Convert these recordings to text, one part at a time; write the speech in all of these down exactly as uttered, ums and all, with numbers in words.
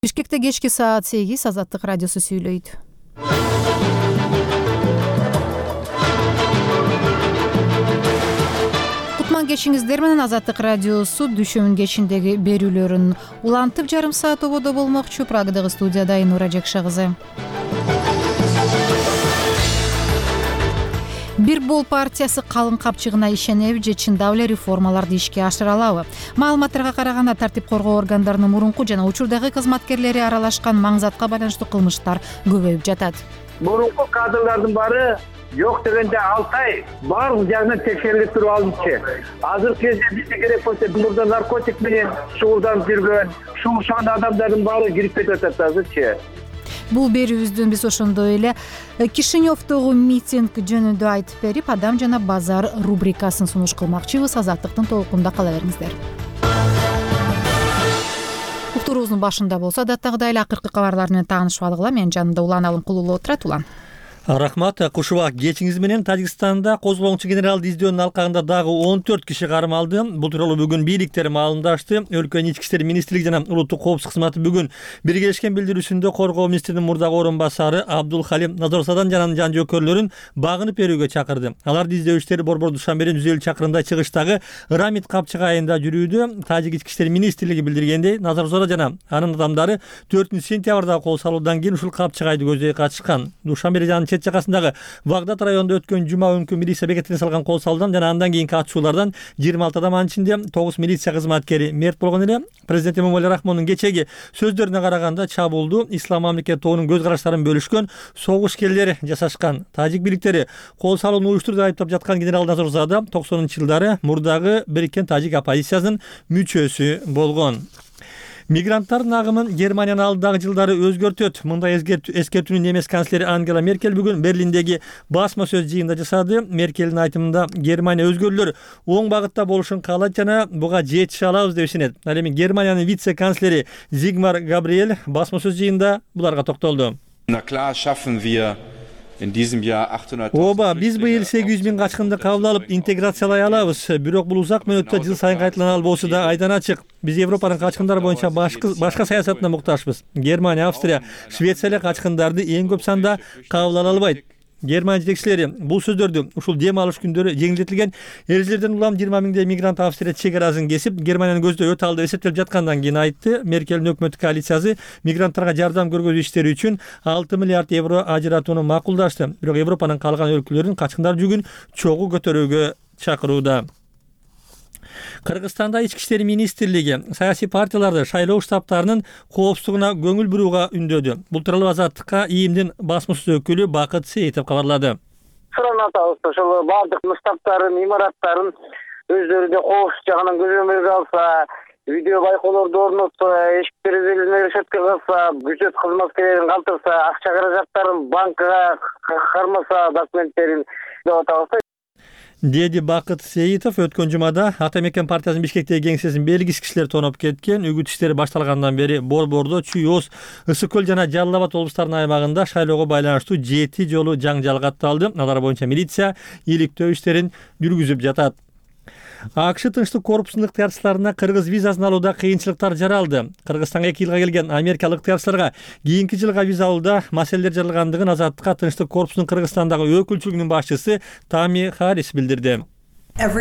Бишкекте кечки саат сегиз Азаттык радиосу сүйлөйт. Кутман кечиңиздер менен Азаттык радиосу дүшөмүн кечиндеги берүүлөрүн улантып жарым саат ободо болмокчу. Прагадагы студияда Айнура Жекша кызы. Бир бол партиясы калың капчыгына ишенеби же чындап эле реформаларды ишке ашыра алабы? Маалыматтарга караганда тартип коргоо органдарынын мурунку жана учурдагы кызматкерлери аралашкан маңзатка байланыштуу кылмыштар көбөйүп жатат. Мурунку кадрлардын баары жок дегенде алты ай баардык жагынан текшерилип туруп алынчы. Азыркы кезде бизге керек болсо мурда наркотик менен шугулданып жүргөн, шуушан адамдардын баары кирип кетип атат азырчы. Бул берүүбүздөн биз ошондой эле Кишиневдогу митинг жөнүндө айтып берип, Адам жана базар рубрикасын сунуш кылмакчыбыз. Азаттыктын толкунда кала бериңиздер. Уктуруубуздун башында болсо адаттагыдай эле акыркы кабарлар менен таанышып алгыла. Менин жанымда Улан Алымкулуулу отурат. Улан. Рахмат, кушуба кечиңиз менен Тажикстанда козголоңчу генералды издөөнүн алкагында дагы он төрт киши кармалды. Бул тууралуу бүгүн бийликтер маалымдашты. Өлкөнүн ички иштер министрлиги жана улуттук коопсуздук кызматы бүгүн биргелешкен билдирүүсүндө коргоо министринин мурдагы орун басары Абдул Халим Назарзадан жана жан жөөкөрлөрүн багынып берүүгө чакырды. Аларды издөө иштери Борбор Душанбеден жүз элүү чакырымдай чыгыштагы Рамит капчыгы айында жүрүүдө. Тажик ички иштер министрлиги билдиргендей, Назарзада жана анын адамдары төртүнчү сентябрда кол салуудан кийин ушул капчыгайды көздөй катышкан. Душанбе жана чет жакасындагы Вагдат районунда өткөн жума күнкү милиция бекетине салган кол салуудан жана андан кийинки атышуулардан жыйырма алты адам, анын ичинде тогуз милиция кызматкери мерт болгон эле. Президент Эмомали Рахмондун кечеги сөздөрүнө караганда чабуулду Ислам мамлекети тобунун көз караштарын бөлүшкөн согушкерлер жасашкан. Тажик бийликтери кол салууну уюштурду деп айтып жаткан генерал Назарзада токсонунчу жылдары мурдагы Бириккен Тажик оппозициясынын мүчөсү болгон. Мигранттардын агымын Германиянын алдыдагы жылдары өзгөртөт. Мындай эскертүүнү немес канцлери Ангела Меркель бүгүн Берлиндеги басма сөз жыйынында жасады. Меркелдин айтымында Германия өзгөрүүлөр оң багытта болушун каалайт жана буга жетише алабыз деп ишенет. Ал эми Германиянын вице-канцлери Зигмар Габриэль басма сөз жыйынында буларга токтолду. Ооба, биз быйыл сегиз жүз миң качкынды кабыл алып интеграциялай алабыз. Бирок бул узак мөөнөттө жыл сайын кайталана албоосу да айдан ачык. Биз Европанын качкындары боюнча башка саясатына муктажбыз. Германия, Австрия, Швеция эле качкындарды эң көп санда кабыл ала албайт. Германия жетекчилери бул сөздөрдү ушул дем алыш күндөрү жеңилдетилген эрежелерден улам жыйырма миңдей мигрант Австрия чек арасын кесип, Германиянын көздөй өтө алды эсептелип жаткандан кийин айтты. Меркелдин өкмөттүк коалициясы мигранттарга жардам көргөзүү иштери үчүн алты миллиард евро ажыратууну макулдашты. Бирок Европанын калган өлкөлөрүн качкындар жүгүн чогуу көтөрүүгө чакырууда. Кыргызстанда ички иштер министрлиги саясий партияларды шайлоо штабтарынын коопсуздугуна көңүл бурууга үндөдү. Бул тууралуу Азаттыкка ИИМдин басма сөз өкүлү Бакыт Сейитов кабарлады. Суранатабыз ошол баардык штабтарын, имараттарын өздөрүнө коопсуз жагынан көзөмөлгө алса, видео байкоолорду орнотса, эшик терезелерин решетке кылса, бюджет кызматкерлерин калтырса, акча каражаттарын банкка кармаса, документтерин деп атабыз. Деди Бакыт Сейитов өткөн жумада Ата Мекен партиясынын Бишкектеги кеңсесин белгисиз кишилер тоноп кеткен. Үгүт иштери башталгандан бери Борбордо, Чүй Оз, Ысык көл жана Жалал Абад облустарынын аймагында шайлоого байланыштуу жети жолу жаңжал катталды. Алар боюнча милиция иликтөө иштерин жүргүзүп жатат. АКШ тынчтык корпусунун ыктыярчыларына кыргыз визасын алууда кыйынчылыктар жаралды. Кыргызстанга эки жылга келген америкалык ыктыярчыларга кийинки жылга виза алууда маселелер жаралгандыгын Азаттыкка тынчтык корпусунун Кыргызстандагы өкүлчүлүгүнүн башчысы Тами Харис билдирди. Ар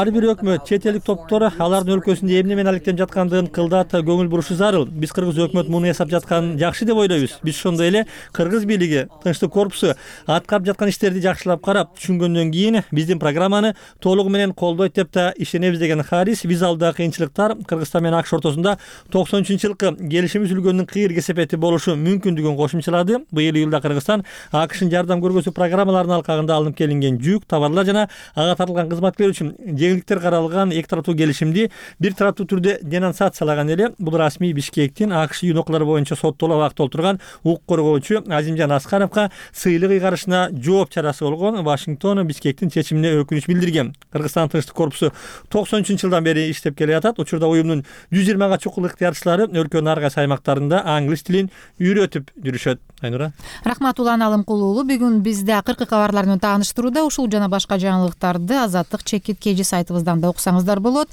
бир өкмөт, чет элдик топтор алардын өлкөсүндө эмне менен алектенип жаткандыгын кылдат көңүл бурушу зарыл. Биз кыргыз өкмөт муну эсап жатканын жакшы деп ойлойбуз. Биз ошондой эле кыргыз бийлиги, тынчтык корпусу аткарып жаткан иштерди жакшылап карап түшүнгөндөн кийин биздин программаны толугу менен колдойт деп да ишенебиз деген Харис виза алуудагы кыйынчылыктар Кыргызстан менен АКШ ортосунда токсон үчүнчү жылкы келишим түзүлгөндүн кыйыр кесепети болушу мүмкүндүгүн кошумчалады. Быйыл июлда Кыргызстан АКШнын жардам көргөзүү программаларынын алкагында алынып келинген жүк, товарлар жана ага тартылган кызматкерлер үчүн жеңилдиктер каралган эки тараптуу келишимди бир тараптуу түрдө денонсациялаган эле. Бул расмий Бишкектин АКШ юнокалары боюнча соттолуп абакта отурган укук коргоочу Азимжан Аскаровго сыйлык ыйгарышына жооп чарасы болгон. Вашингтон Бишкектин чечимине өкүнүч билдирген. Кыргызстан тынчтык корпусу токсон үчүнчү жылдан бери иштеп келе жатат. Учурда уюмдун жүз жыйырмага чукул ыктыярчылары өлкөнүн ар кайсы аймактарында англис тилин үйрөтүп жүрүшөт. Айнура. Рахмат Улан Алымкулуу. Бүгүн бизде акыркы кабарлар менен тааныштырууда ушул жана башка жаңылыктарды Азаттык чекит кежи сайтыбыздан да уксаңыздар болот.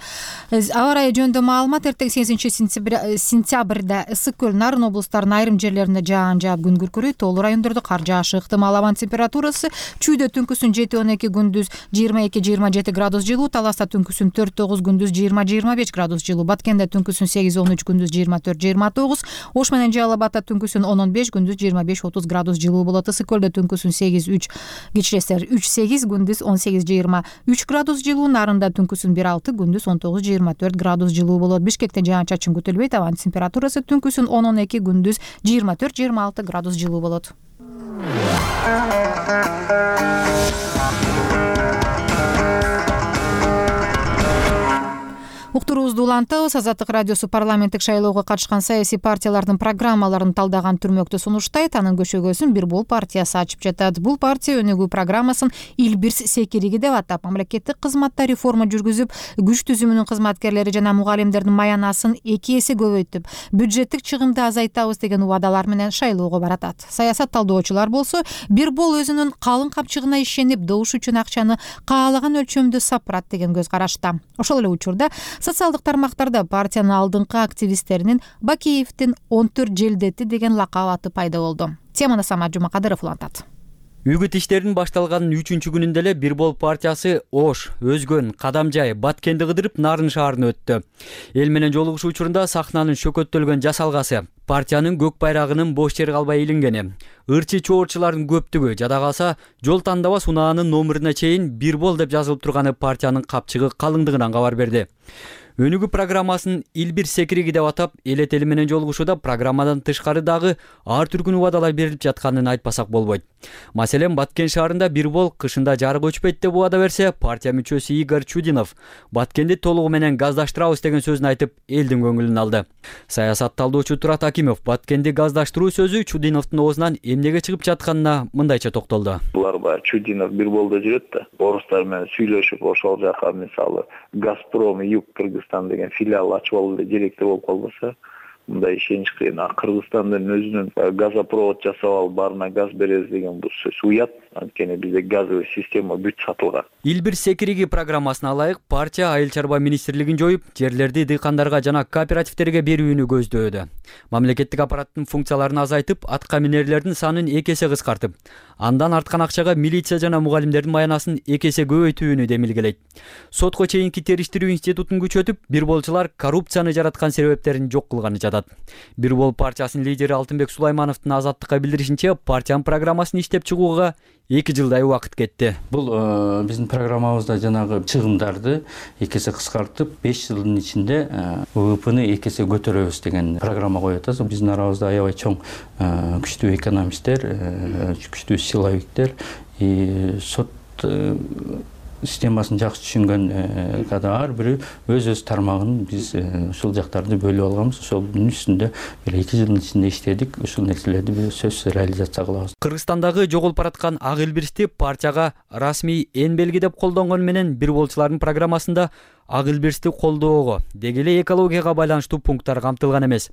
Аба ырайы жөнүндө маалымат: эртең сегизинчи сентябрда Ысык көл, Нарын облустарынын айрым жерлеринде жаан жаап күн күркүрөйт. Тоолуу райондордо кар жаашы ыктымал. Абанын температурасы чүйдө түнкүсүн жети он эки, күндүз жыйырма эки жыйырма жети градус жылуу, Таласта түнкүсүн төрт тогуз, күндүз жыйырма жыйырма беш градус жылуу, Баткенде түнкүсүн сегиз он үч, күндүз жыйырма төрт жыйырма тогуз, Ош менен Жалал Абадта түнкүсүн он он беш, күндүз жыйырма беш отуз градус жылуу болот. Ысык көлдө түнкүсүн сегиз үч, кичиресер үч сегиз, күндүз он сегиз жыйырма үч градус жылуу, Нарында түнкүсүн бир алты, күндүз он тогуз жыйырма төрт градус жылуу болот. Бишкекте жаан чачын күтүлбөйт. Абанын температурасы түнкүсүн он он эки, күндүз жыйырма төрт жыйырма алты градус жылуу болот. Уктуруубузду улантабыз. Азаттык радиосу парламенттик шайлоого катышкан саясий партиялардын программаларын талдаган түрмөктү сунуштайт. Анын көшөгөсүн Бир Бол партиясы ачып жатат. Бул партия өнүгүү программасын Илбирс секириги деп атап, мамлекеттик кызматта реформа жүргүзүп, күч түзүмүнүн кызматкерлери жана мугалимдердин маянасын эки эсе көбөйтүп, бюджеттик чыгымды азайтабыз деген убадалар менен шайлоого баратат. Саясат талдоочулар болсо, Бир Бол өзүнүн калың капчыгына ишенип, добуш үчүн акчаны каалаган өлчөмдө сапырат деген көз карашта. Ошол эле учурда социалдык тармактарда партиянын алдыңкы активисттеринин Бакеевдин он төрт желдети деген лакап аты пайда болду. Теманы Самат Жумакадыров улантат. Үгүт иштеринин башталганын үчүнчү күнүндө эле Бир Бол партиясы Ош, Өзгөн, Кадамжай, Баткенди кыдырып Нарын шаарына өттү. Эл менен жолугушуу учурунда сахнанын шөкөттөлгөн жасалгасы, партиянын көк байрагынын бош жер калбай илингени, ырчы чоорчулардын көптүгү, жада калса жол тандабас унаанын номуруна чейин Бир Бол деп жазылып турганы партиянын капчыгы калыңдыгынан кабар берди. Өнүгүү программасын Илбирс секириги деп атап, эл этели менен жолугушууда программадан тышкары дагы ар түркүн убадалар берилип жатканын айтпасак болбойт. Маселен, Баткен шаарында Бир Бол кышында жарык өчпөйт деп убада берсе, партия мүчөсү Игорь Чудинов Баткенди толугу менен газдаштырабыз деген сөзүн айтып, элдин көңүлүн алды. Саясат талдоочу Турат Акимов Баткенди газдаштыруу сөзү Чудиновдун оозунан эмнеге чыгып жатканына мындайча токтолду. Булар баягы Чудинов Бир Болдо жүрөт да, орустар менен сүйлөшүп, ошол жака мисалы Газпром Юг Кыргызстан деген филиал ачып алуу эле керектүү болуп калбаса, мындай ишенич кыйын. Кыргызстандын өзүнүн газопровод жасап алып, баарына газ беребиз деген бул сөз уят. Анткени бизде газовый система бүт сатылган. Илбирс секириги программасына ылайык, партия Айыл чарба министрлигин жоюп, жерлерди дыйкандарга жана кооперативтерге берүүнү көздөөдө. Мамлекеттик аппараттын функцияларын азайтып, атка минерлердин санын эки эсе кыскартып, андан арткан акчага милиция жана мугалимдердин маянасын эки эсе көбөйтүүнү демилгелейт. Сотко чейинки териштирүү институтун күчөтүп, Бир Болчулар коррупцияны жараткан себептерин жок кылганы жатат. Бир Бол партиясынын лидери Алтынбек Сулаймановдун Азаттыкка билдиришинче, партиянын программасын иштеп чыгууга эки жылдай убакыт кетти. Бул биздин программабызда жанагы чыгымдарды эки эсе кыскартып, беш жылдын ичинде ВВПны эки эсе көтөрөбүз деген программа коюп атабыз. Биздин арабызда аябай чоң күчтүү экономисттер, күчтүү силовиктер, сот системасын жакшы түшүнгөн када ар бири өз-өз тармагын биз ушул жактарды бөлүп алганбыз. Ошолдун үстүндө бир эки жылдын ичинде иштедик. Ушул нерселерди биз сөзсүз реализация кылабыз. Кыргызстандагы жоголуп бараткан ак Илбирсти партияга расмий эн белгидеп колдонгон менен Бир Болчулардын программасында ак Илбирсти колдоого, деги эле экологияга байланыштуу пункттар камтылган эмес.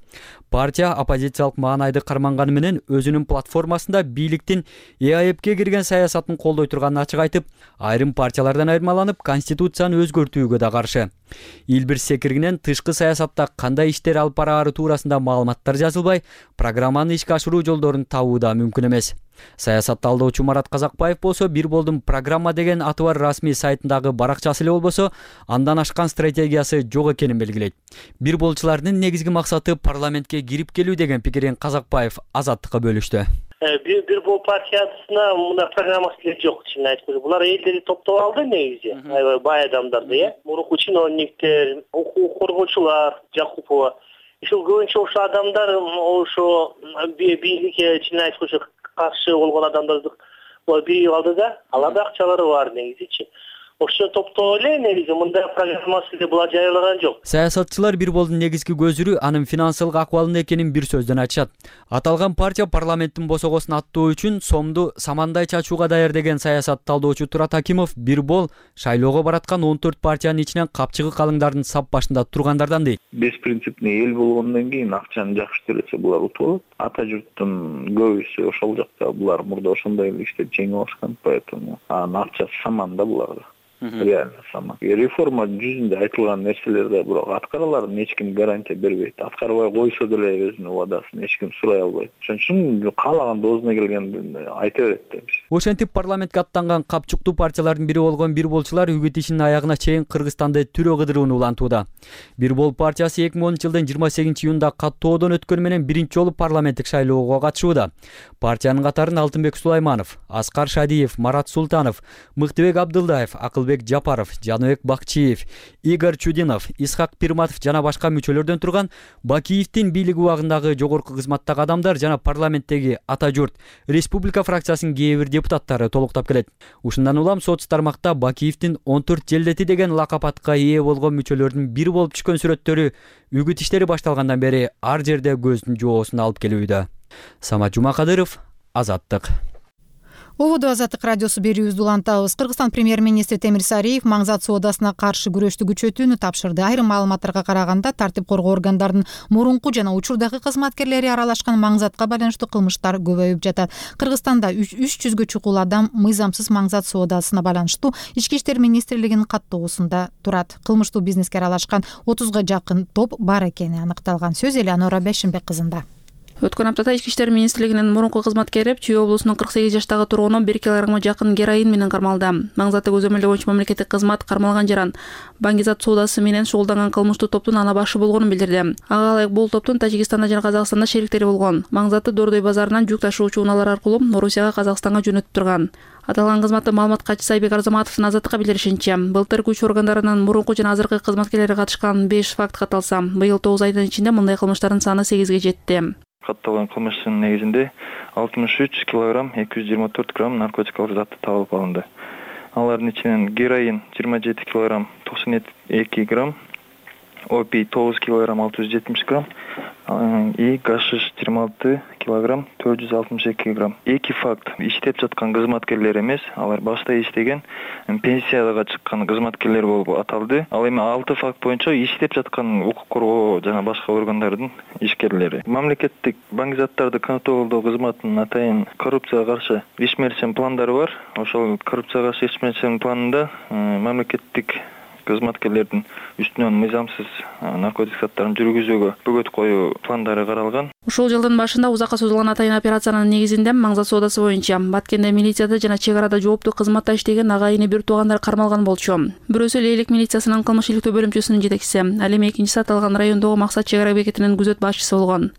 Партия оппозициялык маанайды карманганы менен өзүнүн платформасында бийликтин ЭАЭПке кирген саясатын колдой турганын ачык айтып, айрым партиялардан айырмаланып, конституцияны өзгөртүүгө да каршы. Илбирс секиригинен тышкы саясатта кандай иштер алып бараары туурасында маалыматтар жазылбай, программаны ишке ашыруу жолдорун табуу да мүмкүн эмес. Саясат талдоочу Марат Казакбаев болсо, Бир Болдун программа деген аты бар расмий сайтындагы баракчасы эле болбосо, андан ашкан стратегиясы жок экенин белгилейт. Бир Болчулардын негизги максаты парламентке кирип келүү деген пикирин Казакбаев Азаттыкка бөлүштү. Бир Бол партиясына мына программасы эле жок, чын айтып. Булар элдерди топтоп алды негизи. Аябай бай адамдарды, э. Мурунку чиновниктер, укук коргоочулар, Жакупова. Ушул көбүнчө ошо адамдар ошо бийликке чын айткыча каршы болгон адамдарды биригип алды да, аларда акчалары бар негизичи. ошо топтоо эле негизи мындай программасы деп булар жарыялаган жок. Саясатчылар бир болдун негизги көзүрү анын финансылык акыбалында экенин бир сөздөн айтышат. Аталган партия парламенттин босогосун аттоо үчүн сомду самандай чачууга даяр деген саясат талдоочу Турат Акимов бир бол шайлоого бараткан он төрт партиянын ичинен капчыгы калыңдардын сап башында тургандардан дейт. Беспринципный эл болгондон кийин акчаны жакшы төлөсө булар утуп алат. Ата журттун көбүсү ошол жакта, булар мурда ошондой эле иштеп жеңип алышкан, поэтому анын акчасы саманда буларда. Реально саман. Реформа жүзүндө айтылган нерселер да бирок аткараларын эч ким гарантия бербейт. Аткарбай койсо деле өзүнүн убадасын эч ким сурай албайт. Ошон үчүн каалаган доозуна келгенде айта берет да. Ошентип парламентке аттанган капчыктуу партиялардын бири болгон бир болчулар үгүт ишинин аягына чейин Кыргызстанды түрө кыдырууну улантууда. Бир бол партиясы эки миң онунчу жылдын жыйырма сегизинчи июнда каттоодон өткөнү менен биринчи жолу парламенттик шайлоого катышууда. Партиянын катарын Алтынбек Сулайманов, Аскар Шадиев, Марат Султанов, Мыктыбек Абдылдаев, Акылбек Жапаров, Жаныбек Бакчиев, Игорь Чудинов, Исхак Пирматов жана башка мүчөлөрдөн турган Бакиевдин бийлик убагындагы жогорку кызматтагы адамдар жана парламенттеги Ата журт Республика фракциясынын кээ бир депутаттары толуктап келет. Ушундан улам соц тармакта Бакиевдин он төрт желдети деген лакап атка ээ болгон мүчөлөрдүн бири болуп түшкөн сүрөттөрү үгүт иштери башталгандан бери ар жерде көздүн жоосун алып келүүдө. Самат Жумакадыров, Азаттык. Ободо Азаттык радиосу берүүбүздү улантабыз. Кыргызстан премьер-министри Темир Сариев маңзат соодасына каршы күрөштү күчөтүүнү тапшырды. Айрым маалыматтарга караганда, тартип коргоо органдарынын мурунку жана учурдагы кызматкерлери аралашкан маңзатка байланыштуу кылмыштар көбөйүп жатат. Кыргызстанда үч жүзгө чукул адам мыйзамсыз маңзат соодасына байланыштуу Ички иштер министрлигинин каттоосунда турат. Кылмыштуу бизнеске аралашкан отузга жакын топ бар экени аныкталган. Сөз Элеонора Бешимбек кызында. Өткөн аптада Ички иштер министрлигинин мурунку кызматкери Чүй облусунун кырк сегиз жаштагы тургуну бир килограммга жакын героин менен кармалды. Маңзатты көзөмөлдөө боюнча мамлекеттик кызмат кармалган жаран баңгизат соодасы менен шугулданган кылмыштуу топтун ана башы болгонун билдирди. Ага ылайык бул топтун Тажикстанда жана Казакстанда шериктери болгон. Маңзатты Дордой базарынан жүк ташуучу унаалар аркылуу Орусияга, Казакстанга жөнөтүп турган. Аталган кызматтын маалымат катчысы Айбек Арзаматовдун Азаттыкка билдиришинче, былтыр күч органдарынын мурунку жана азыркы кызматкерлери катышкан беш факт катталса, быйыл тогуз айдын ичинде мындай кылмыштардын саны сегизге жетти. Катталган кылмыштын негизинде алтымыш үч килограмм эки жүз жыйырма төрт грамм наркотикалык зат табылып алынды. Алардын ичинен героин жыйырма жети килограмм токсон эки грамм, опий тогуз килограмм алты жүз жетимиш грамм и гашиш жыйырма алты килограмм төрт жүз алтымыш эки грамм. Эки факт иштеп жаткан кызматкерлер эмес, алар башта иштеген пенсияга чыккан кызматкерлер болуп аталды. Ал эми алты факт боюнча иштеп жаткан укук коргоо жана башка органдардын ишкерлери. Мамлекеттик баңгизаттарды контролдоо кызматынын атайын коррупцияга каршы ишмерчен пландары бар. Ошол коррупцияга каршы ишмерчен планында мамлекеттик кызматкерлердин үстүнөн мыйзамсыз наркотик заттарын жүргүзүүгө бөгөт коюу пландары каралган. Ушул жылдын башында узакка созулган атайын операциянын негизинде маңзат соодасы боюнча Баткенде милицияда жана чек арада жооптуу кызматта иштеген агайыны бир туугандар кармалган болчу. Бирөөсү Лейлик милициясынын кылмыш иликтөө бөлүмчөсүнүн жетекчиси, ал эми экинчиси аталган райондогу Максат чек ара бекетинин күзөт башчысы болгон.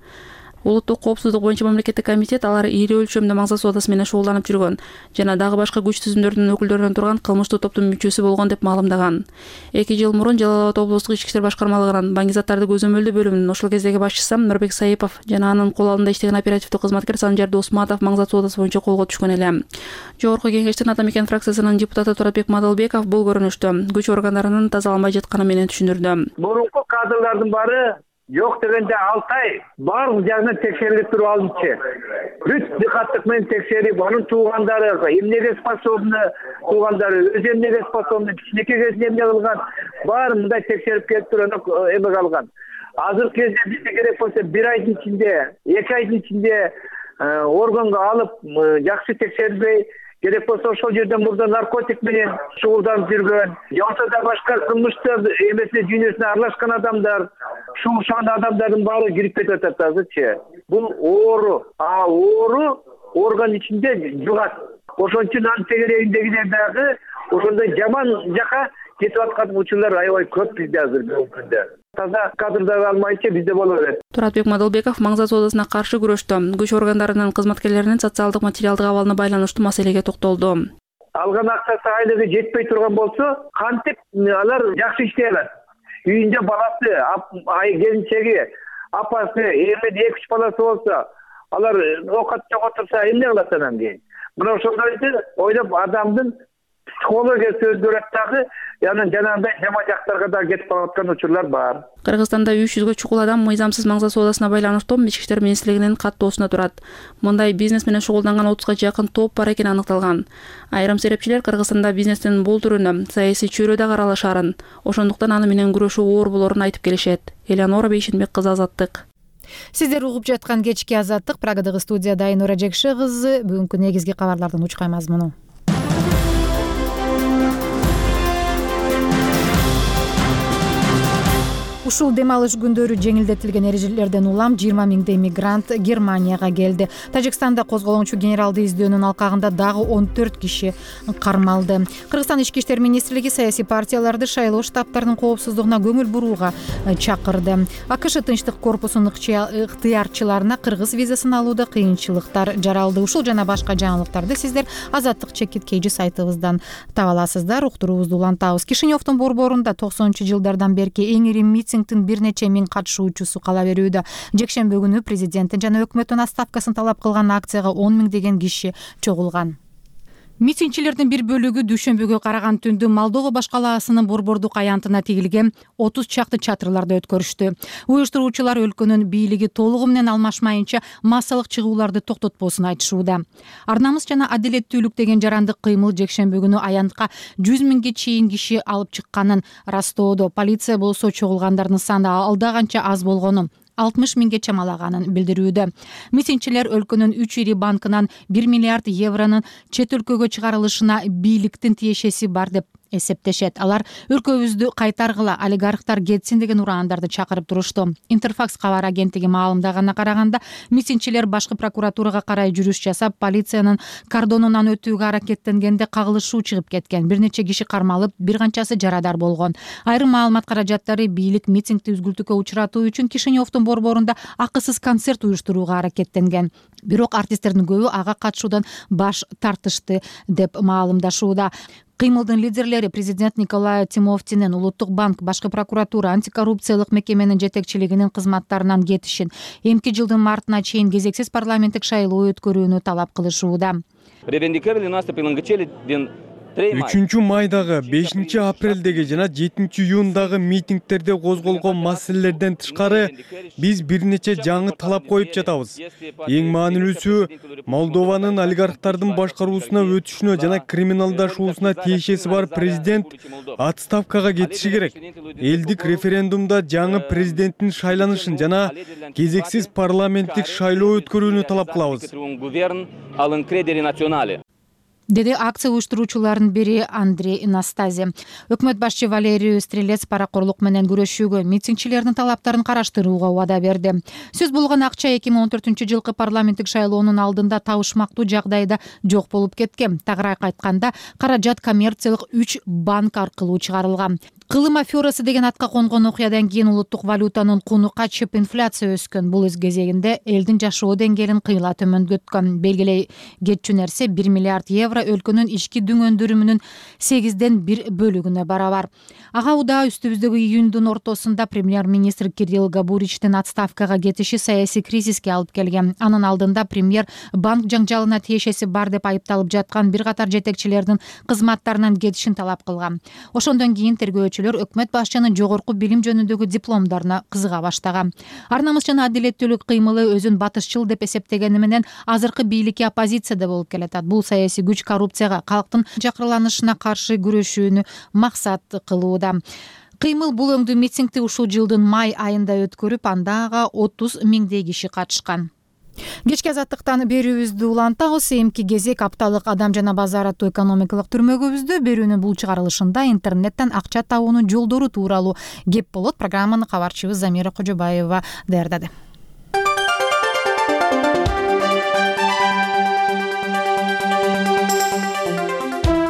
Улуттук коопсуздук боюнча мамлекеттик комитет алар ири өлчөмдө маңзат соодасы менен шуулданып жүргөн жана дагы башка күч түзүмдөрдүн өкүлдөрүнөн турган кылмыштуу топтун мүчөсү болгон деп маалымдаган. эки жыл мурун Жалал Абад облустук ички иштер башкармалыгынын баңгизаттарды көзөмөлдөө бөлүмүнүн ошол кездеги башчысы Нурбек Саипов жана анын кол алдында иштеген оперативдик кызматкер Санжар Досматов маңзат соодасы боюнча колго түшкөн эле. Жогорку кеңештин Ата мекен фракциясынын депутаты Туратбек Мадалбеков бул көрүнүштү күч органдарынын тазаланбай жатканы менен түшүндүрдү. Мурунку кадрлардын баары жок дегенде алты ай баардык жагынан текшерилип туруп алынчы. Бүт дикаттык менен текшерип, анын туугандары, эмнеге способны туугандары, өзү эмнеге способны, кичинекей кезинде эмне кылган, баарын мындай текшерип келип туруп эме калган. Азыркы кезде бизге керек болсо бир айдын ичинде, эки айдын ичинде органга алып жакшы текшерилбей, керек болсо ошол жерден мурда наркотик менен шугулданып жүргөн, жоксо да башка кылмыштар эмесине дүйнөсүнө аралашкан адамдар, шугулданган адамдардын баары кирип кетип атат азырчы. Бул оору, а оору орган ичинде жугат. Ошон үчүн анын тегерегиндегилер дагы ошондой жаман жака кетип аткан учурлар аябай көп бизде азыр бүгүнкү күндө. Таза кадрдарды алмайча бизде боло берет. Туратбек Мадалбеков маңзат соодасына каршы күрөштө күч органдарынын кызматкерлеринин социалдык материалдык абалына байланыштуу маселеге токтолду. Алган акчасы айлыгы жетпей турган болсо, кантип алар жакшы иштей алат. Үйүндө баласы, келинчеги, апасы, эми эки үч баласы болсо, алар окат жок отурса эмне кылат анан кийин? Мына ошондойду ойлоп адамдын психологиясы өзгөрөт дагы, яны жанагындай жаман жактарга да кетип калаткан учурлар бар. Кыргызстанда үч жүзгө чукул адам мыйзамсыз маңзат соодасына байланыштуу Ички иштер министрлигинин каттоосунда турат. Мындай бизнес менен шугулданган отузга жакын топ бар экени аныкталган. Айрым серепчилер Кыргызстанда бизнестин бул түрүнө саясий чөйрө да каралышарын, ошондуктан аны менен күрөшүү оор болорун айтып келишет. Элеонора Бейшенбек кызы, Азаттык. Сиздер угуп жаткан кечки Азаттык, Прагадагы студияда Айнура Жекше кызы. Бүгүнкү негизги кабарлардын учкай мазмуну. Ушул дем алыш күндөрү жеңилдетилген эрежелерден улам жыйырма миңдей мигрант Германияга келди. Тажикстанда козголоңчу генералды издөөнүн алкагында дагы он төрт киши кармалды. Кыргызстан ички иштер министрлиги саясий партияларды шайлоо штабтарынын коопсуздугуна көңүл бурууга чакырды. АКШ Тынчтык корпусунун ыктыярчыларына кыргыз визасын алууда кыйынчылыктар жаралды. Ушул жана башка жаңылыктарды сиздер Азаттык чекит кейжи сайтыбыздан таба аласыздар. Уктуруубузду улантабыз. Кишиневдун борборунда токсонунчу жылдардан берки эң ири митинг бир нече миң катышуучусу кала берүүдө. Жекшемби күнү президенттин жана өкмөттүн отставкасын талап кылган акцияга он миңдеген киши чогулган. Митингчилердин бир бөлүгү дүйшөмбүгө караган түндү Молдова башкалаасынын борбордук аянтына тигилген отуз чакты чатырларда өткөрүштү. Уюштуруучулар өлкөнүн бийлиги толугу менен алмашмайынча массалык чыгууларды токтотпосун айтышууда. Арнамыз жана адилеттүүлүк деген жарандык кыймыл жекшемби күнү аянтка жүз миңге чейин киши алып чыкканын растоодо. Полиция болсо чогулгандардын саны алда канча аз болгонун, алтымыш миңге чамалаганын билдирүүдө. Митингчилер өлкөнүн үч ири банкынан бир миллиард евронун чет өлкөгө чыгарылышына бийликтин тиешеси бар деп эсептешет. Алар өлкөбүздү кайтаргыла, олигархтар кетсин деген ураандарды чакырып турушту. Интерфакс кабар агенттиги маалымдаганына караганда, митингчилер башкы прокуратурага карай жүрүш жасап, полициянын кордонунан өтүүгө аракеттенгенде кагылышуу чыгып кеткен. Бир нече киши кармалып, бир канчасы жарадар болгон. Айрым маалымат каражаттары бийлик митингди үзгүлтүүгө учуратуу үчүн Кишиневдун борборунда акысыз концерт уюштурууга аракеттенген. Бирок артисттердин көбү ага катышуудан баш тартышты деп маалымдашууда. Кыймылдын лидерлери президент Николай Тимофтинин Улуттук банк, башкы прокуратура, антикоррупциялык мекеменин жетекчилигинин кызматтарынан кетишин, эмки жылдын мартына чейин кезексиз парламенттик шайлоо өткөрүүнү талап кылышууда. үчүнчү майдагы, бешинчи апрелдеги жана жетинчи июндагы митингтерде козголгон маселелерден тышкары биз бир нече жаңы талап коюп жатабыз. Эң маанилүүсү Молдованын олигархтардын башкаруусуна өтүшүнө жана криминалдашуусуна тиешеси бар президент отставкага кетиши керек. Элдик референдумда жаңы президенттин шайланышын жана кезексиз парламенттик шайлоо өткөрүүнү талап кылабыз, деди акция уюштуруучуларынын бири Андрей Настази. Өкмөт башчы Валерий Стрелец паракорлук менен күрөшүүгө, митингчилердин талаптарын караштырууга убада берди. Сөз болгон акча эки миң он төртүнчү жылкы парламенттик шайлоонун алдында табышмактуу жагдайда жок болуп кеткен. Тагыраак айтканда, каражат коммерциялык үч банк аркылуу чыгарылган. Кылым аферасы деген атка конгон окуядан кийин улуттук валютанын куну качып, инфляция өскөн. Бул өз кезегинде элдин жашоо деңгээлин кыйла төмөндөткөн. Белгилей кетчү нерсе бир миллиард евро өлкөнүн ички дүң өндүрүмүнүн сегизден бир бөлүгүнө барабар. Ага удаа үстүбүздөгү июндун ортосунда премьер-министр Кирилл Габуричтин отставкага кетиши саясий кризиске алып келген. Анын алдында премьер банк жаңжалына тиешеси бар деп айыпталып жаткан бир катар жетекчилердин кызматтарынан кетишин талап кылган. Ошондон кийин тергөөчүлөр өкмөт башчынын жогорку билим жөнүндөгү дипломдоруна кызыга баштаган. Арнамыз жана адилеттүүлүк кыймылы өзүн батышчыл деп эсептегени менен азыркы бийликке оппозицияда болуп келатат. Бул саясий күч коррупцияга, калктын жакырланышына каршы күрөшүүнү максат кылууда. Кыймыл бул өңдүү митингди ушул жылдын май айында өткөрүп, андага отуз миңдей киши катышкан. Кечки Азаттыктан берүүбүздү улантабыз. Эмки кезек апталык Адам жана базар аттуу экономикалык түрмөгүбүздө берүүнүн бул чыгарылышында интернеттен акча табуунун жолдору тууралуу кеп болот. Программаны кабарчыбыз Замира Кожобаева даярдады.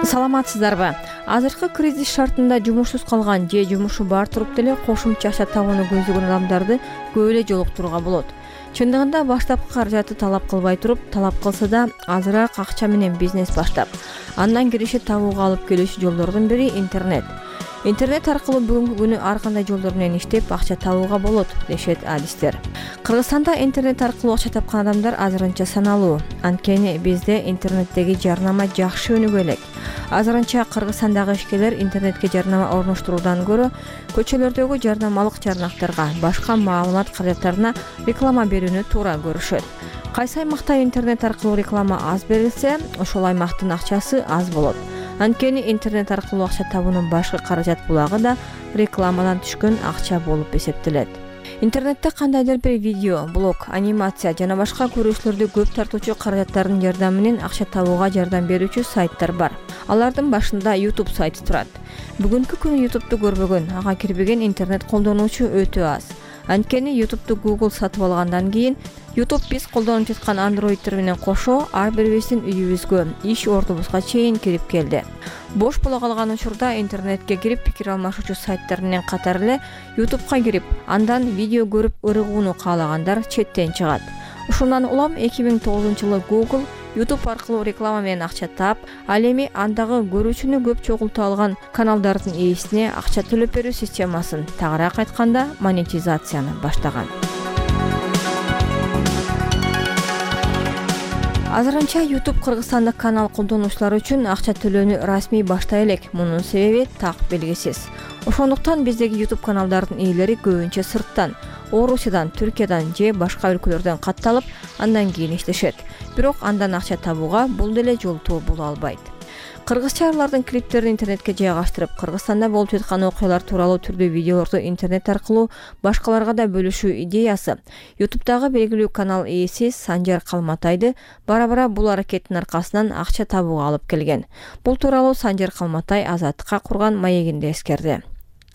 Саламатсыздарбы? Азыркы кризис шартында жумушсуз калган же жумушу бар туруп деле кошумча акча табууну көздөгөн адамдарды көп эле жолуктурууга болот. Чындыгында баштапкы каражатты талап кылбай туруп, талап кылса да азыраак акча менен бизнес баштап, андан кириши табууга алып келүүчү жолдордун бири интернет. Интернет аркылуу бүгүнкү күнү ар кандай жолдор менен иштеп акча табууга болот, дешет адистер. Кыргызстанда интернет аркылуу акча тапкан адамдар азырынча саналуу. Анткени бизде интернеттеги жарнама жакшы өнүгө элек. Азырынча Кыргызстандагы ишкерлер интернетке жарнама орноштуруудан көрө көчөлөрдөгү жарнамалык жарнактарга, башка маалымат каражаттарына реклама берүүнү туура көрүшөт. Кайсы аймакта интернет аркылуу реклама аз берилсе, ошол аймактын акчасы аз болот. Анткени интернет аркылуу акча табуунун башкы каражат булагы да рекламадан түшкөн акча болуп эсептелет. Интернетте кандайдыр бир видео, блог, анимация жана башка көрүүчүлөрдү көп тартуучу каражаттардын жардамы менен акча табууга жардам берүүчү сайттар бар. Алардын башында YouTube сайты турат. Бүгүнкү күнү YouTube'ду көрбөгөн, ага кирбеген интернет колдонуучу өтө аз. Анткени YouTube'ду Google сатып алгандан кийин YouTube биз колдонуп жаткан Android'тер менен кошо ар бирибиздин үйүбүзгө, иш ордубузга чейин кирип келди. Бош боло калган учурда интернетке кирип пикир алмашуучу сайттар менен катар эле YouTube'га кирип, андан видео көрүп ырыгууну каалагандар четтен чыгат. Ушундан улам эки миң тогузунчу жылы Google YouTube аркылуу реклама менен акча таап, ал эми андагы көрүүчүнү көп чогулта алган каналдардын ээсине акча төлөп берүү системасын, тагыраак айтканда, монетизацияны баштаган. Азырынча YouTube Кыргызстандык канал колдонуучулар үчүн акча төлөөнү расмий баштай элек. Мунун себеби так белгисиз. Ошондуктан биздеги YouTube каналдардын ээлери көбүнчө сырттан, Орусиядан, Түркиядан же башка өлкөлөрдөн катталып, андан кийин иштешет. Бирок андан акча табууга бул деле жолтоо боло албайт. Кыргызчалардын клиптерин интернетке жайгаштырып, Кыргызстанда болуп жаткан окуялар тууралуу түрдүү видеолорду интернет аркылуу башкаларга да бөлүшүү идеясы YouTube'дагы белгилүү канал ээси Санжар Калматайды бара-бара бул аракеттин аркасынан акча табууга алып келген. Бул тууралуу Санжар Калматай Азаттыкка курган маегинде эскерди.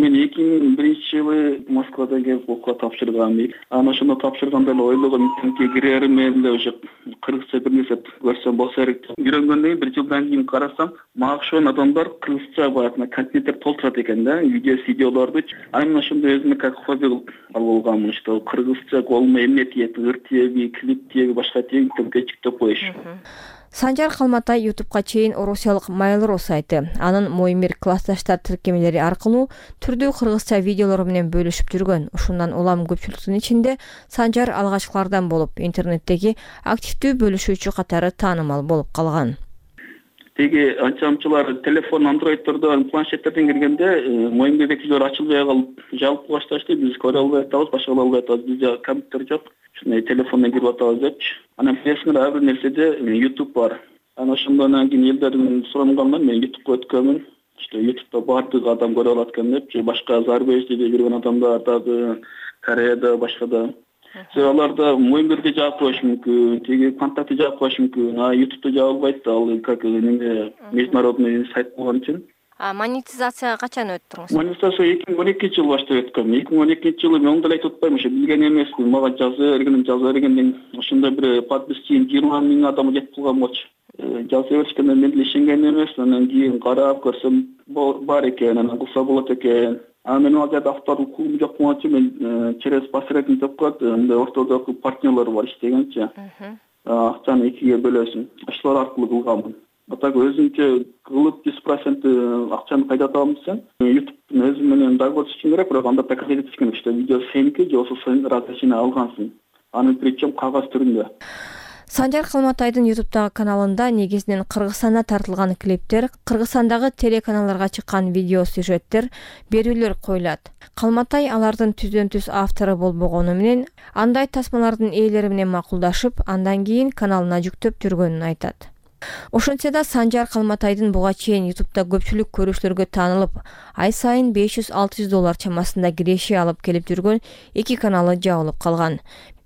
Мен эки миң биринчи жылы Москвада келип окууга тапшыргам. Анан ошондо тапшырганда эле ойлогом, интернетке кирерим эле, уже кыргызча бир нерсе көрсөм болсо керек деп. Үйрөнгөндөн бир жылдан кийин карасам, мага окшогон адамдар кыргызча баягы контенттер толтурат экен да, видео, видеолорду. Анан ошондо өзүмө как хобби кылып алып алгам, что кыргызча колума эмне тиет, ыр тиеби, клип тиеби, башка тиеби, интернетке чыктып коюш. Санжар Калматай YouTube'га чейин орусиялык Mail.ru сайты, анын Моимир классташтар тиркемелери аркылуу түрдүү кыргызча видеолор менен бөлүшүп жүргөн. Ушундан улам көпчүлүктүн ичинде Санжар алгачкылардан болуп, интернеттеги активдүү бөлүшүүчү катары таанымал болуп калган. Теги анчамчылар телефон, андроиддордон, планшеттерден киргенде Моимир видеолор ачылбай калып, жабылып башташты. Биз көрө албай атабыз, башка албай атабыз. Бизде компьютер жок. Ушундай телефондон кирип атабыз депчи. Анан билесиңер, ар бир нерседе YouTube бар. Анан ошондон кийин элдерден сураганмын, мен YouTube'га өткөнмүн. Что YouTube'да бардык адам көрө алат экен депчи, башка зарубежде жүргөн адамдар дагы, Кореяда, башкада. Аларда Моимирди жаап коюш мүмкүн, теги контакты жаап коюш мүмкүн. А YouTube'да жабылбайт, ал как неме международный сайт болгон үчүн. А монетизация качан өттүңүз? Монетизация эки миң он экинчи жылы баштап өткөм. эки миң он экинчи жылы мен оңдой айтып атпайм, ошо билген эмесмин. Мага жаза берген, жаза бергенден ошондой бир подписчиң жыйырма миң адам жетип калган болчу. Жаза беришкенде мен деле ишенген эмесмин. Анан кийин карап көрсөм бар экен, анан кылса болот экен. А мен ал жерде авторлук укугум жок болгон үчүн мен через посредник деп коет, мындай ортодогу партнерлер бар иштегенчи. Акчаны экиге бөлөсүң. Ошолор аркылуу кылганмын. А так өзүнчө кылып жүз процент акчаны кайда табам десем, YouTube'дун өзү менен договор түзүшүң керек, бирок анда доказать этиш керек, что видео сеники же болбосо сен разрешение алгансың. Аны причем кагаз түрүндө. Санжар Калматайдын YouTube'дагы каналында негизинен Кыргызстанда тартылган клиптер, Кыргызстандагы телеканалдарга чыккан видео сюжеттер, берүүлөр коюлат. Калматай алардын түздөн-түз автору болбогону менен андай тасмалардын ээлери менен макулдашып, андан кийин каналына жүктөп жүргөнүн айтат. Ошентсе да Санжар Калматайдын буга чейин YouTube'да көпчүлүк көрүүчүлөргө таанылып, ай сайын беш жүз алты жүз доллар чамасында киреше алып келип жүргөн эки каналы жабылып калган.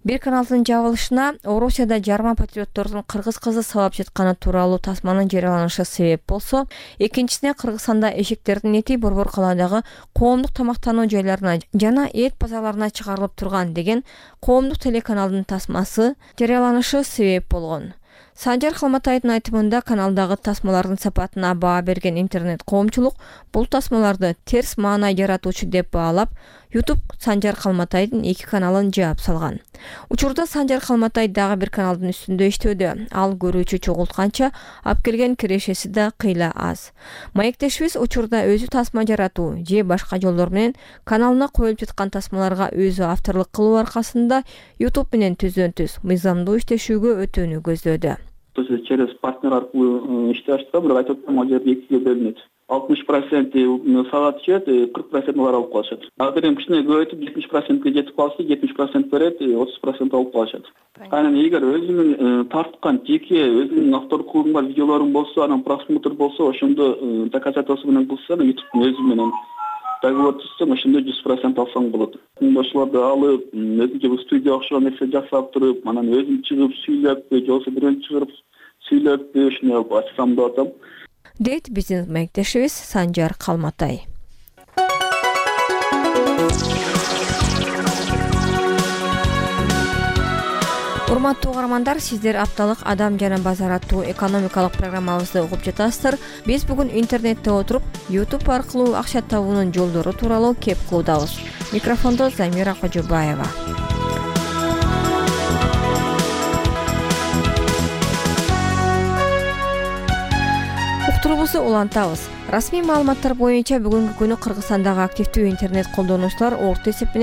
Бир каналдын жабылышына Орусияда жарма патриоттордун кыргыз кызы сабап жатканы тууралуу тасманын жарыяланышы себеп болсо, экинчисине Кыргызстанда эшектердин эти Борбор калаадагы коомдук тамактануу жайларына жана эт базарларына чыгарылып турган деген коомдук телеканалдын тасмасы жарыяланышы себеп болгон. Санжар Калматайдын айтымында каналдагы тасмалардын сапатына баа берген интернет коомчулук бул тасмаларды терс маана жаратуучу деп баалап, YouTube Санжар Калматайдын эки каналын жаап салган. Учурда Санжар Калматай дагы бир каналдын үстүндө иштөөдө. Ал көрүүчү чогултканча ап келген кирешеси да кыйла аз. Маектешибиз учурда өзү тасма жаратуу же башка жолдор менен каналына коюлуп жаткан тасмаларга өзү авторлук кылуу аркасында YouTube менен түздөн-түз мыйзамдуу иштешүүгө өтүүнү көздөдү. то есть через партнер аркылуу иштеп аштык, бирок айтып атам, ал жерде экиге бөлүнөт. алтымыш проценти саат түшөт, кырк процент алар алып калышат. Азыр эми кичине көбөйтүп жетимиш процентке жетип калса, жетимиш процент берет, отуз процент алып калышат. Анан эгер өзүңүн тарткан жеке өзүнүн автордук укугуң бар видеолоруң болсо, анан просмотр болсо, ошондо доказательство менен кылсаң, YouTube өзү менен договор түзсөң, ошондо жүз процент алсаң болот. Ошолорду алып, өзүнчө студия окшогон нерсе жасап туруп, анан өзүм чыгып сүйлөппү, же болбосо бирөөнү чыгарып сүйлөппү, ушуну ачсам деп атам. Дейт биздин мектешибиз Санжар Калматай. Урматтуу угармандар, сиздер апталык Адам жана базар аттуу экономикалык программабызды угуп жатасыздар. Биз бүгүн интернетте отуруп, YouTube аркылуу акча табуунун жолдору тууралуу кеп кылуудабыз. Микрофондо Замира Кожобаева. Уктурубузду улантабыз. Расмий маалыматтар боюнча бүгүнкү күнү Кыргызстандагы активдүү интернет колдонуучулар орто эсеп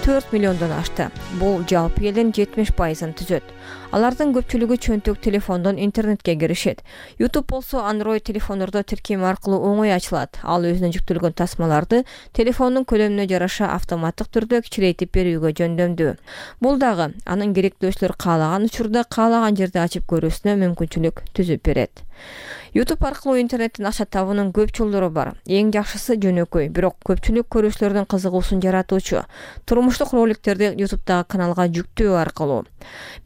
төрт миллиондон ашты. Бул жалпы элдин жетимиш пайызын түзөт. Алардын көпчүлүгү чөнтөк телефондон интернетке киришет. YouTube болсо Android телефондордо тиркем аркылуу оңой ачылат. Ал өзүнө жүктөлгөн тасмаларды телефондун көлөмүнө жараша автоматтык түрдө кичирейтип берүүгө жөндөмдүү. Бул дагы анын керектөөчүлөр каалаган учурда каалаган жерде ачып көрүүсүнө мүмкүнчүлүк түзүп берет. YouTube аркылуу интернеттен акча табуунун көп жолдору бар. Эң жакшысы жөнөкөй, бирок көпчүлүк көрүүчүлөрдүн кызыгуусун жаратуучу турмуштук роликтерди YouTube'дагы каналга жүктөө аркылуу.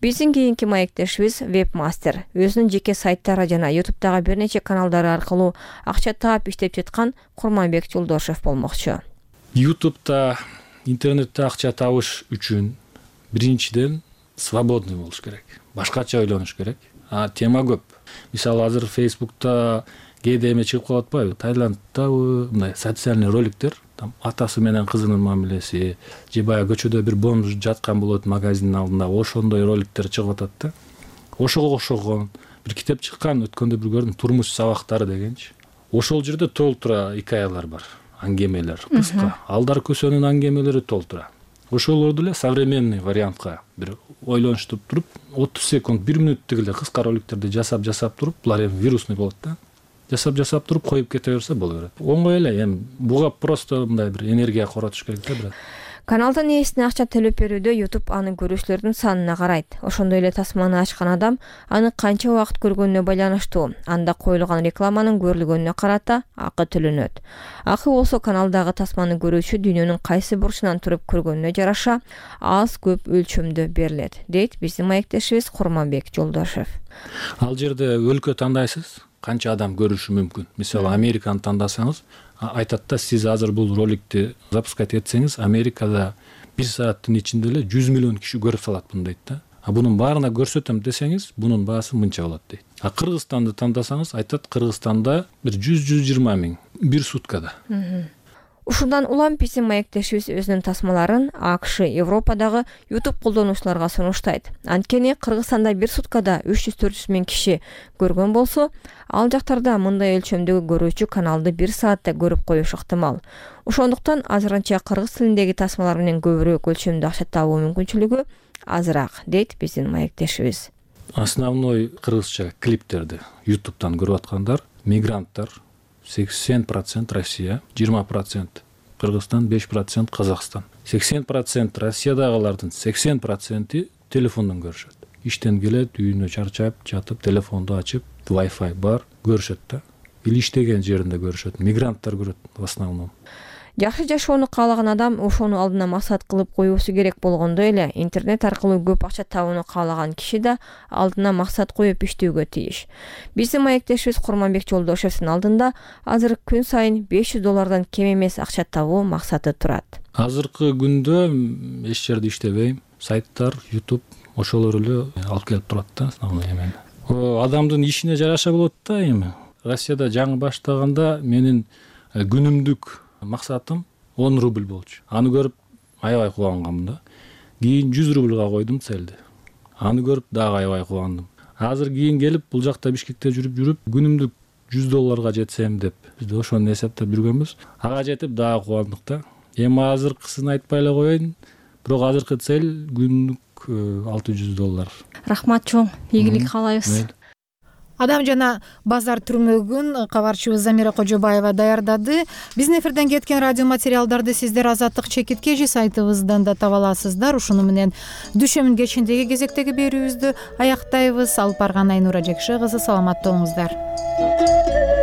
Биздин кийинки маектешибиз Webmaster. Өзүнүн жеке сайттары жана YouTube'дагы бир нече каналдары аркылуу акча таап иштеп жаткан Курманбек Жолдошев болмокчу. YouTube'да интернетте акча табыш үчүн биринчиден свободный болуш керек. Башкача ойлонуш керек. А тема көп. Мисалы азыр Facebook'та кээде эме чыгып калып атпайбы? Таиланддабы мындай социальный роликтер, там атасы менен кызынын мамилеси, же баягы көчөдө бир бомж жаткан болот магазиндин алдында, ошондой роликтер чыгып атат да. Ошого окшогон бир китеп чыккан, өткөндө бир көрдүм, турмуш сабактары дегенчи. Ошол жерде толтура хикаялар бар, аңгемелер кыска. Алдар көсөнүн аңгемелери толтура. Ошолорду эле современный вариантка бир ойлонуштуп туруп, отуз секунд, бир мүнөттүк эле кыска роликтерди жасап-жасап туруп, булар эми вирусный болот да. Жасап-жасап туруп коюп кете берсе боло берет. Оңой эле, эми буга просто мындай бир энергия коротуш керек да бирок. Каналдын ээсине акча төлөп берүүдө YouTube анын көрүүчүлөрдүн санына карайт. Ошондой эле тасманы ачкан адам аны канча убакыт көргөнүнө байланыштуу. Анда коюлган рекламанын көрүлгөнүнө карата акы төлөнөт. Акы болсо каналдагы тасманы көрүүчү дүйнөнүн кайсы бурчунан туруп көргөнүнө жараша аз көп өлчөмдө берилет, дейт биздин маектешибиз Курманбек Жолдошев. Ал жерде өлкө тандайсыз, канча адам көрүшү мүмкүн. Мисалы Американы тандасаңыз, айтат да, сиз азыр бул роликти запускать этсеңиз, Америкада бир сааттын ичинде эле жүз миллион киши көрүп салат муну дейт да. А бунун баарына көрсөтөм десеңиз, бунун баасы мынча болот дейт. А Кыргызстанды тандасаңыз, айтат Кыргызстанда бир жүз жүз жыйырма миң бир суткада. Ушундан улам биздин маектешибиз өзүнүн тасмаларын АКШ, Европадагы YouTube колдонуучуларга сунуштайт. Анткени Кыргызстанда бир суткада үч жүз төрт жүз миң киши көргөн болсо, ал жактарда мындай өлчөмдөгү көрүүчү каналды бир саатта көрүп коюш ыктымал. Ошондуктан азырынча кыргыз тилиндеги тасмалар менен көбүрөөк өлчөмдө акча табуу мүмкүнчүлүгү азыраак, дейт биздин маектешибиз. Основной кыргызча клиптерди YouTube'дан көрүп аткандар мигранттар, сексен процент Россия, жыйырма процент Кыргызстан, беш процент Казакстан. сексен процент Россиядагылардын сексен проценти телефондон көрүшөт. Иштен келет, үйүнө чарчап, жатып, телефонду ачып, Wi-Fi бар, көрүшөт да. Или иштеген жеринде көрүшөт. Мигранттар көрөт в основном. Жакшы жашоону каалаган адам ошону алдына максат кылып коюусу керек болгондой эле, интернет аркылуу көп акча табууну каалаган киши да алдына максат коюп иштөөгө тийиш. Биздин маектешибиз Курманбек Жолдошевдин алдында азыр күн сайын беш жүз доллардан кем эмес акча табуу максаты турат. Азыркы күндө эч жерде иштебейм. Сайттар, YouTube ошолор эле алып келип турат да, основной эмени. Адамдын ишине жараша болот да эми. Россияда жаңы баштаганда менин күнүмдүк максатым он рубль болчу. Аны көрүп аябай кубангам да. Кийин жүз рубльга койдум целди. Аны көрүп дагы аябай кубандым. Азыр кийин келип бул жакта Бишкекте жүрүп жүрүп күнүмдүк жүз долларга жетсем деп биз ошону эсептеп жүргөнбүз. Ага жетип дагы кубандык да. Эми азыркысын айтпай эле коеюн. Бирок азыркы цель күнүмдүк алты жүз доллар. Рахмат чоң. Ийгилик каалайбыз. Адам жана базар түрмөгүн кабарчыбыз Замира Кожобаева даярдады. Биздин эфирден кеткен радио материалдарды сиздер Азаттык чекит кежи сайтыбыздан да таба аласыздар. Ушуну менен Дүшөмүн кечиндеги кезектеги берүүбүздү аяктайбыз. Алып барган Айнура Жекши кызы, саламатта болуңуздар.